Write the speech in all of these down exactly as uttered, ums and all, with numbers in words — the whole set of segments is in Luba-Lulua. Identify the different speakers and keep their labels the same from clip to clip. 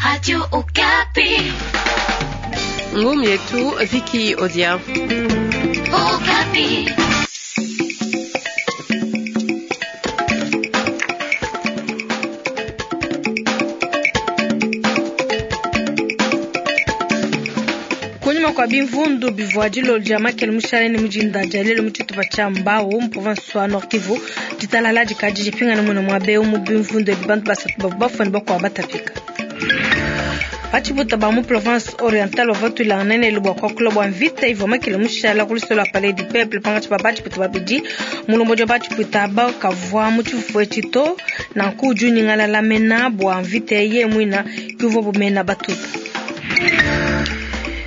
Speaker 1: Radio Okapi.
Speaker 2: Ngumu yetu Viki Odia.
Speaker 1: Okapi.
Speaker 3: Kunyima kwa bimvundu bivua dilolo dia makele mushale ne mujinda dia lelo mu tshitupa tshia Mbau mu province wa Nord Kivu, ditalala dikadi dipingana muna muaba eu mu bimvundu ebi bantu basatu bavua bafua ne bakuabu batapika. Batshibuta ba mu province orientale bavua batuilangana ne bua kuakula bua mvita ivua makele mushala ku lusolo lua Palais du Peuple pankatshi pa batshibuta babidi. Mulombodi wa batshibuta aba kavua mu tshifufu etshi to, nanku udi unyingalala mena bua mvita yeye muina ke uvua bumena batuta.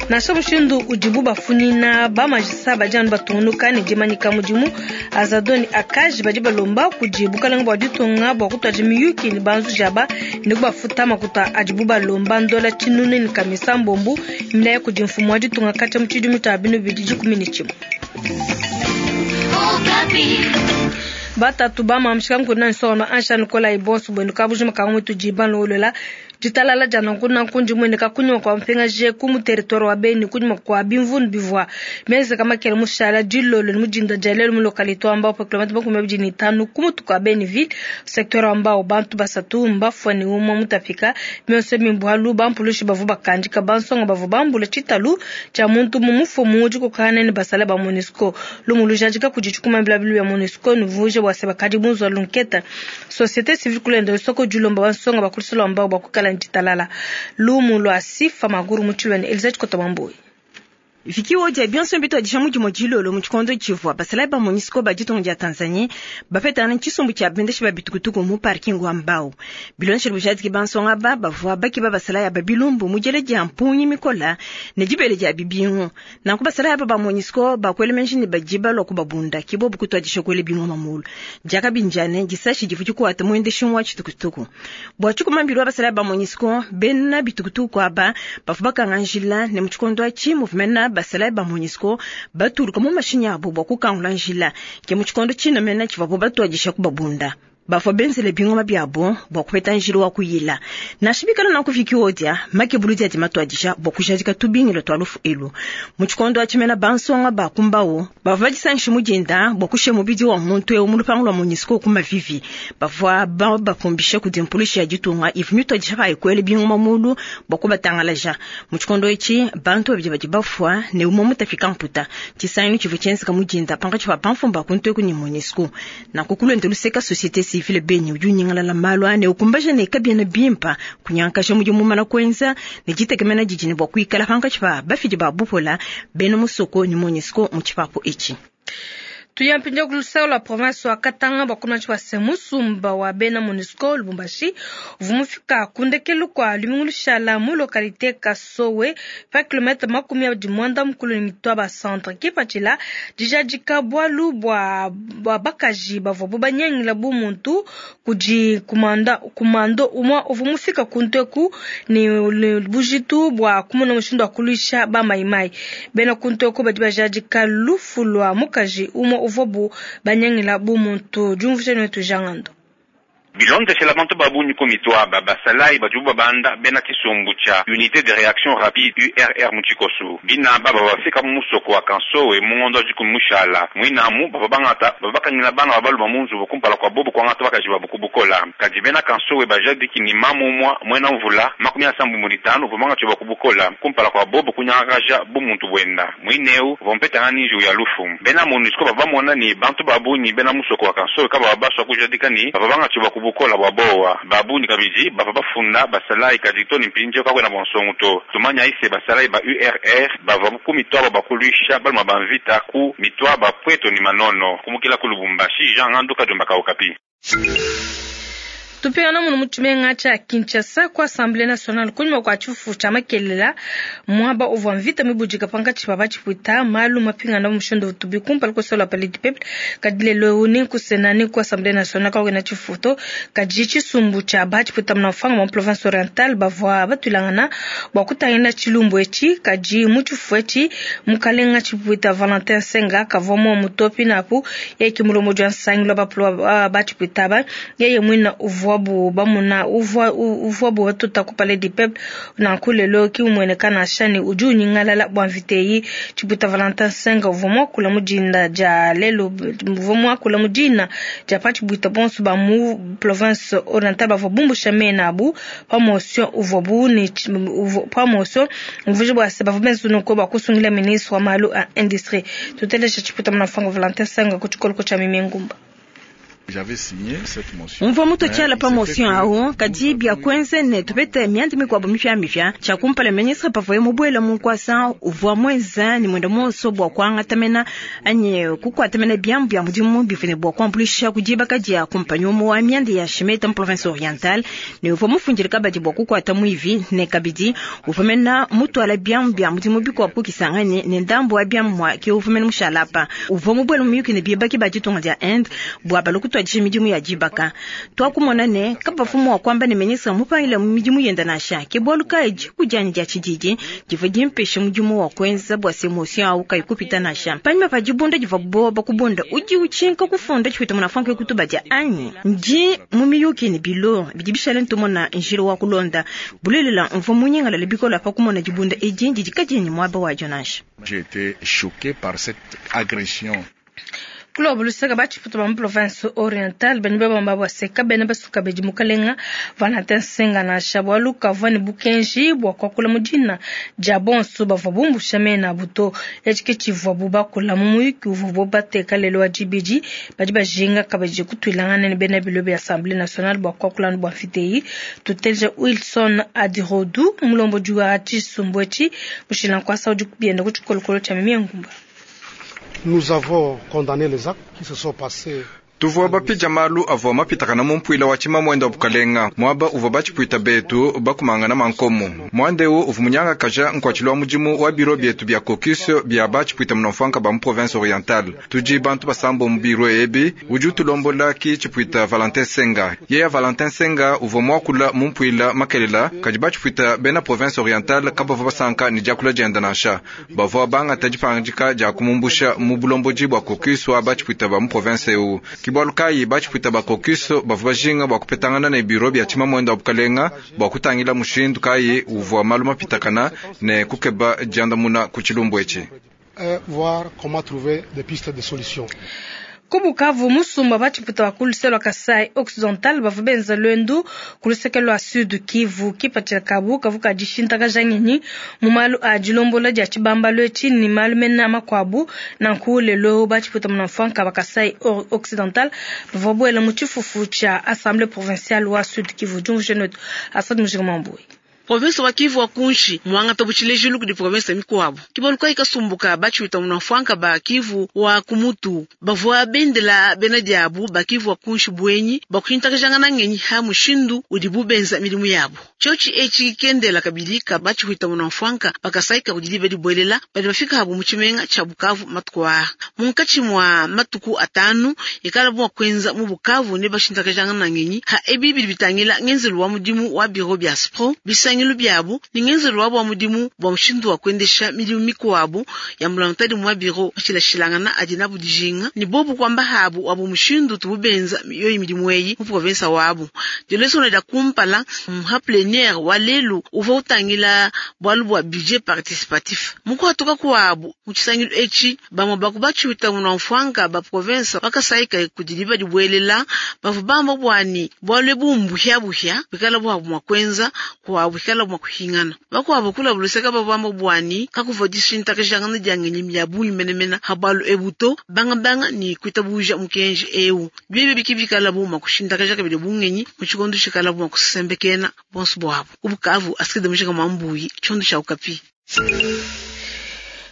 Speaker 3: Nansha mushindu udibu bafunyina bamajisa badi anu batungunuka ne dimanyika mudimu Azadoni Akaji badi balomba kudi bukalenge bua ditunga bua kutuadi miyuki ne banzuji aba ne kubafuta makuta adibu balomba ndola tshinunu ne kamisa mbombu milaye kudi mfumu wa ditunga katshia mu tshidimu tshia binu bibidi dikumi ne tshimue. Batatu ba mamshika nkuna nsono ansha nikola ibonso bwenu kabujima kamwe tujiba lolela ditalala dia nanku nanku ndi mueneka kunyima kua mpingaje ku mu territoire wa Beni kunyima kua bimvundu bivua mienzeka makele mushala dilolo ne mudinda dia lelo mu localité wa Mbau pa kilomètre makumi abidi ne itanu ku mutu kua Beni ville secteur wa Mbau bantu basatu mbafua ne umue mutapika mionso mimbualu bampulushi bavua bakandika bansonga bavua bambula tshitalu tshia muntu mu mufumu udi kukana ne basala ba MONUSCO lumu lujadika kudi tshikuma bilabilu bia MONUSCO nuvuje bua se bakadi bunzwa lunketa société civile kulenda lusoko dilomba bansonga bakulisolo wa Mbau bakukala ditalala lumu lwa sifa maguru mutshilwane Elizabeth Kotobamboyi.
Speaker 4: Viki odia bionso mbituadija mudimu dilolo mu tshikondo tshivua basalayi ba MONUSCO ba ditunga dia Tanzanie bapetana tshisumbu tshia bendeshi ba bitukutuku mu parking wa Mbau. Biloneshele bujadiki bansonga aba bavua bakiba basalayi aba bilumbu mu diela dia mpungi mikola ne dibele dia bibingu. Nanku basalayi aba ba MONUSCO bakuela menji ne badi balua kubabunda ke bobu kutuadija kuela bingoma mulu. Diakabinjane disashi divua dikuata muendeshi wa tshitukutuku. Bua tshikumambilu wa basalayi ba MONUSCO bena bitukutuku aba bavua bakanga njila ne mu tshikondo atshi muvua basalayi ba MONUSCO batuluka mu mashinyi abo bua kukangula njila ke mu tshikondo tshinamena tshivuabu batuadisha kubabunda. Bavua benzele bingoma biabo bua kupeta njila wa kuyila. Nansha bikala nanku Viki odia makebuludi adi matuadisha bua kujadika tubingilo tua lufu elu. Mu tshikondo atshi mena bansonga ba ku Mbau bavua badisangishe mu dinda bua kushiya mubidi wa muntu eu mu lupangu lua MONUSCO ku Mavivi. Bavua babapumbishe kudi mpulushi ya ditunga ivua mituadisha payi kuela bingoma mulu bua kubatangalaja. Mu tshikondo etshi bantu babidi badi bafua ne umue mutapika mputa. Tshisangilu tshivua tshienzeka mu dinda pankatshi pa bamfumu ba ku nteku ne MONUSCO. Nanku kulonda luseka société civile Beni udi unyingalala malu ane ukumbaja ne kabiena bimpa kunyankaja mudimu mumana kuenza ne ditekemena didi ne bua kuikala pankatshi pa bafidi ba bupola bena musoko ne MONUSCO mu tshipapu etshi.
Speaker 3: Tuyampindia kulusao la province wa Katanga bakunatshi wa semusumba wa bena MONUSCO Lubumbashi uvumufika kundekelu kwa lumingu lushala mu localité Kasowe pa kilomètre makumi abidi mwanda mukulu ne mitwa ba centre kipatshila dijadika bualu bua bua bakaji bavua banyangila bu muntu kudi kumanda kumando umwa uvumufika kunteku ne bujitu bua kumona mushindu wa kuluisha ba maimai bena kunteku badi bajadika lufu lwa mukaji umwa uvobu banyangila bu muntu jumvushe netu jangando.
Speaker 5: Bilondeshela bantu babunyi ku mitwaba basalayi badi babanda bena tshisumbu tshia unité de réaction rapide U R R mu tshikosu. Binaba bafika mu musoko wa Kansowe mu ngondo wa dikumi mushala. Mwinamu bava bangata babakangila bana babaluma mu nzubu kumpala kwa bobu kuangata bakaji babu kubukola. Kadi bena Kansowe bajadiki ni mamu mwa mwena mvula makumi asambu mu ditanu vumanga tshiba kubukola kumpala kwa bobu kunyangakaja bu muntu bwenda. Mwineu vompetanga ninju ya lufu. Bena MONUSCO bavamona ni bantu babunyi bena musoko wa Kansowe kaba babaswa kujadika ni bava banga tshiba kubukola bwa bowa babuni kabidi bava bafunda basalayi kadi to ni mpinje kakwena bonsongo to tumanya ise basalayi ba U R R bava ku mitwaba bakulisha baluma banvita ku mitwaba pweto ni manono kumukila ku Lubumbashi Jean Nganduka Jomba Kaukapi.
Speaker 3: Tupingana muno mu tshimenga tshia Kinshasa ku Assemblée nationale kunyima kua tshifufu tshia makelela muaba uvua mvita mibudika pankatshi pa batshipuita malu mapingana mu mushindu utubi kumpala kusola Palais du Peuple kadi lelo ni ku Sénat ni ku Assemblée nationale kakwena tshifufu to kadi tshisumbu tshia batshipuita muna mfanga mu province orientale bavua batuilangana bua kutangila tshilumbu etshi kadi mu tshifufu etshi mukalenga tshipuita Valentin Senga kavua mu mutopi napu yeye ki mulomo jwa nsangi lwa batshipuita ba yeye mwina uvua Uvuabu bamuna uvua uvuabu batuta ku Palais du Peuple nanku lelo ki umueneka nansha ne udi unyingalala bua mvita eyi. Tshipuita Valentin Senga uvua muakula mu dinda dia lelo, uvua muakula mu dina dia pa tshipuita bonso ba mu province orientale bavua bumbusha mena abu pa motion uvuabu ne pa motion umvuije bua se bavua benza nunku bua kusungila ministre wa malu a industrie. Tuteleje Tshipuita Munafanga Valentin Senga ku tshikoloko tshia Mimi Ngumba.
Speaker 4: Mvua mutotshiala pa motion awu kadi bia kuenza ne tupete mianda mikuabu mipiamipia. Tshia kumpala ministre pavuaye mubuela mu nkuasa uvua muenza ne muenda muonso bua kuangatamena anyi kukuatamena biamu bia mudimu bivua ne bua kuambuluisha ku dibaka dia kumpanyi umue wa mianda ya Shimeta mu province orientale, ne uvua mufundile kabadi bua kukuata muivi, ne kabidi uvua mena mutuala biamu bia mudimu bikuabu kukisangane ne ndambu wa biamu mua ke uvua mena mushalapa. Uvua mubuela mu miyuki ne bibaki ba ditunga dia Inde bua baluku tuadisha midimu ya dibaka. Twakumona ne kabafumu wa kwamba ne ministre mupangile mu midimu yenda nansha ke bwalu kayi dikudianyi dia tshididi divua dimpesha mudimu wa kuenza bua se motion awu kayi kupita nansha. Panyima pa dibunda divua boba kubunda udi utshinka kufunda tshipita munafanke kutubadia anyi ndi mu miyuki ne bilo bidi bishale ntumona njila wa kulonda bulelela mvua munyingalala bikola pa kumona dibunda edi didi kadiyi muaba wadio nansha.
Speaker 6: J'ai été choqué par cette agression.
Speaker 3: Kulobo lusaka batshiputa ba mu province orientale bani babamba bua se kabena basuka bedi mukalenga Valentin Senga nansha bualu kavua ne bukenji bua kuakula mu dina dia bonso bavua bumbusha mena abu to. Etshi ke tshivuabu bakula mu muyuki uvuabu bateka lelo wa dibidi. Badi bajinga kabidi kutuilangana ne bena bilo bia Assemblée nationale bua kuakula bua mvita eyi. Tuteleje Wilson Adirodu mulombodi wa tshisumbu etshi mushila nkuasa udi bienda ku tshikolokolo tshia Mimi Ngumba.
Speaker 7: Nous avons condamné les actes qui se sont passés.
Speaker 8: Tuvua bapija malu avua mapitakana mu mpuila wa tshimamwenda wa bukalenga muaba uvua batshipuita betu bakumangana mankomo. Muandeu uvua munyangakaja nkuatshilo wa mudimu wa biro bietu bia caucus bia batshipuita munamfuanka ba mu province orientale. Tudi bantu basambo mu biro ebi udi utulombola ki tshipuita Valentin Senga. Yeya Valentin Senga uvua muakula mu mpuila makelela kadi batshipuita bena province orientale kabavua basanka ne diakula dienda nansha. Bavua bangata dipangika dia kumumbusha mu bulombodi bua caucus wa batshipuita ba mu province eu. Kibwalu kayi batshipuita ba caucus bavua bajinga bua kupetangana ne biro bia tshimamwenda wa bukalenga bua kutangila mushindu kayi uvua malu mapitakana ne kukeba diandamuna ku tshilumbu etshi.
Speaker 7: Voir comment trouver des pistes de solutions.
Speaker 3: Ku Bukavu musumba batshiputa wa ku luseke lua Kasai Occidental bavua benza lwendu ku luseke lua Sud Kivu kipatshila kabu kavu ka dishintakaja ngenyi mu malu a dilombola dia tshibambalu etshi ne malu mene makuabu. Nanku lelo batshiputa munamfuanka ba Kasai Occidental bavua buela mu tshifufu tshia Assemblée provinciale wa Sud Kivu. Diumvuije netu Asad Mujinga Mambui.
Speaker 9: Province wa Kivu wa kunshi mwangata butshilejilu kudi province mikuabu. Kibaluka ikasumbuka batshiwita munamfuanka ba Kivu wa kumutu bavua bendela bena diabu ba Kivu wa kunshi bwenyi bakushintakajangana ngenyi ha mushindu udi bubenza milimu yabu. Tshiotshi etshi kendela kabidi ka batshiwita munamfuanka bakasaika kudi bedi bwelela badi bafika habu mu tshimenga tshia Bukavu matuku aa. Munkatshi mwa matuku atanu ikala bua kwenza mu Bukavu ne bashintakajangana ngenyi ha ebi bidi bitangila ngenzelu wa mudimu wa biro bia SPRO bisangilu byabu ni ngenzelu wa mudimu bwa mushindu wa kuendesha milimu mikuabu ya mulantadi mwa biro bashilashilangana adi nabu dijinga ni bobu kwamba habu wabu mushindu tububenza yoyi milimu eyi mu province wabu. Dileso da kumpala mha plénière wa lelu uvua utangila bwalu bwa budget participatif mukwatuka kwabu mu tshisangilu etshi bamwe bakubatshiwita munamfuanka ba province bakasaika kudiliba dibwelela bavua bamba bwani bwalu ebu mbuhyabuhya bikala bwabu mwa kwenza kwabu bikala mwa kuhingana bakwabo kula buluseka babamba bwani kakuva dishintakajangana diangenyi ya bungi menemena habalu ebuto banga banga ni kwitabuja mukenji eu biebe bikibikala bu makushintakaja kabili bungenyi mu tshikondo tshikala bu makusembekena bonso bwabo ubukavu asikide mujika mwambuyi tshondo tsha Okapi.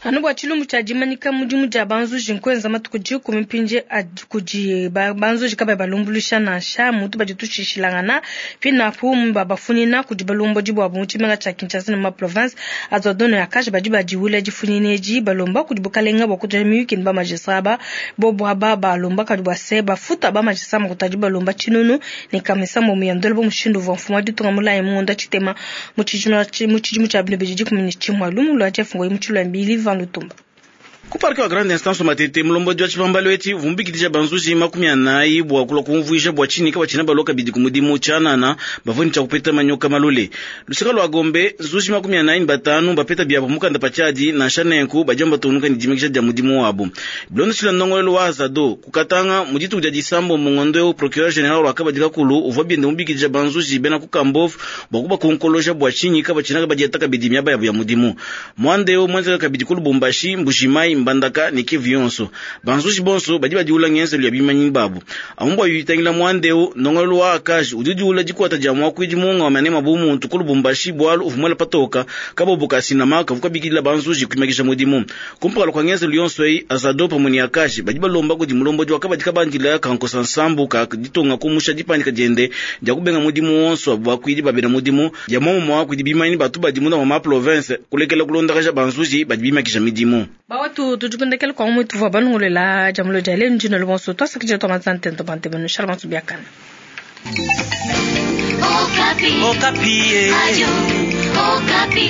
Speaker 3: Anu bua tshilumbu tshia dimanyika mudimu dia banzuji nkwenza matuku dikumi mpinje kudi banzuji kabayi balumbuluisha nansha mutu badi tushishilangana pinapu babafunina kudi balumbodi bwabu mu tshimenga tshia Kinshasa ne ma province azwadone akaje badi badiwula difunina edi balomba kudi bukalenga bua kutuja miyuki ne ba magistrat ba bobu aba balomba kadi bua se bafuta ba magistrat makutadi balomba tshinunu ne kamisa mu muyandolo bo mushindu uvua mfumu wa ditunga mulayi munda tshitema mu tshidimu tshia bino bidi dikumi ne tshimue lumu lua Jeff Ngoyi mu tshilwa mbili Lutumba.
Speaker 10: Ku parke wa Grande Instance Matete, mulombodi wa tshibambalu etshi uvua banzuji makumi anayi bua kulua kumvuija bua tshinyi kabatshina balua kabidi ku mudimu tshianana bavua ne tshia kupeta manyoka malule. Luseka lua Gombe, nzuji makumi anayi ne batanu bapeta biabo mukanda pa tshiadi nansha nenku badi batungunuka ne dimikisha dia mudimu wabo. Bilondeshile ndongoluelu wa Azado kukatanga mu dituku dia disambo mu ngondo eu, procureur general wa kabadi kakulu uvua biende mubikidija banzuji bena ku Kambov bua kubakonkoloja bua tshinyi kabatshina badiata kabidi miaba yabo ya mudimu. Mwanda eu mwenzeka kabidi ku Lubumbashi, Mbujimayi, Mbandaka ne Kivu yonso. Banzuji bonso badi badiula ngenzelu ya bimanyi babu. Amu bua yitangila mwanda eu, ndongoluelu wa akaji udi udiula dikuata dia muakuidi munga wa manema bu muntu ku Lubumbashi bualu uvua muela patoka kabobo ka sinama kavu kabikidila banzuji kuimakisha mudimu. Kumpala kwa ngenzelu yonso eyi, Azado pamwe ne akaji badi balomba kudi mulombodi wa kabadi kabandila kankosa nsambu ka ditonga kumusha dipandika diende dia kubenga mudimu wonso bakuidi babena mudimu dia momumwa kudi bimanyi batu badi munda mwa ma province kulekela kulondakaja banzuji badi bimakisha midimu.
Speaker 3: Bawatu tujikundekele kwa mwitu vwa banungulela jamulo jale njino lubonso twasakije twamanzante ntobante benu shalmansu biakana.
Speaker 1: Okapi. Okapi. Radio Okapi.